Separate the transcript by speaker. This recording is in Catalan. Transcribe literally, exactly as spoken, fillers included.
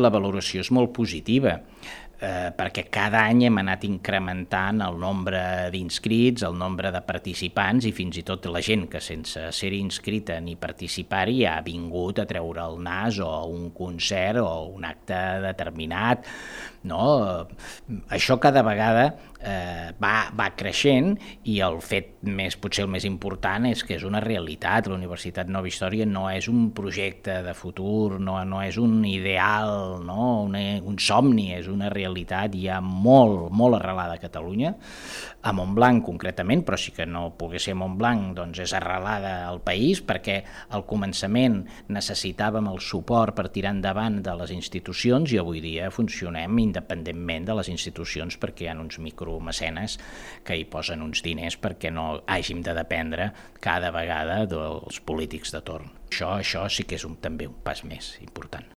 Speaker 1: La valoració és molt positiva, eh, perquè cada any hem anat incrementant el nombre d'inscrits, el nombre de participants i fins i tot la gent que sense ser inscrita ni participar-hi ha vingut a treure el nas o a un concert o un acte determinat. No? Això cada vegada eh, va, va creixent i el fet més, potser el més important és que és una realitat. La Universitat Nova Història no és un projecte de futur, no, no és un ideal, no? una, un somni, és una realitat ja molt, molt arrelada a Catalunya, a Montblanc concretament, però sí que no pogués ser Montblanc, doncs és arrelada al país, perquè al començament necessitàvem el suport per tirar endavant de les institucions i avui dia funcionem independentment de les institucions perquè hi ha uns micromecenes que hi posen uns diners perquè no hàgim de dependre cada vegada dels polítics de torn. Això, això sí que és un, també un pas més important.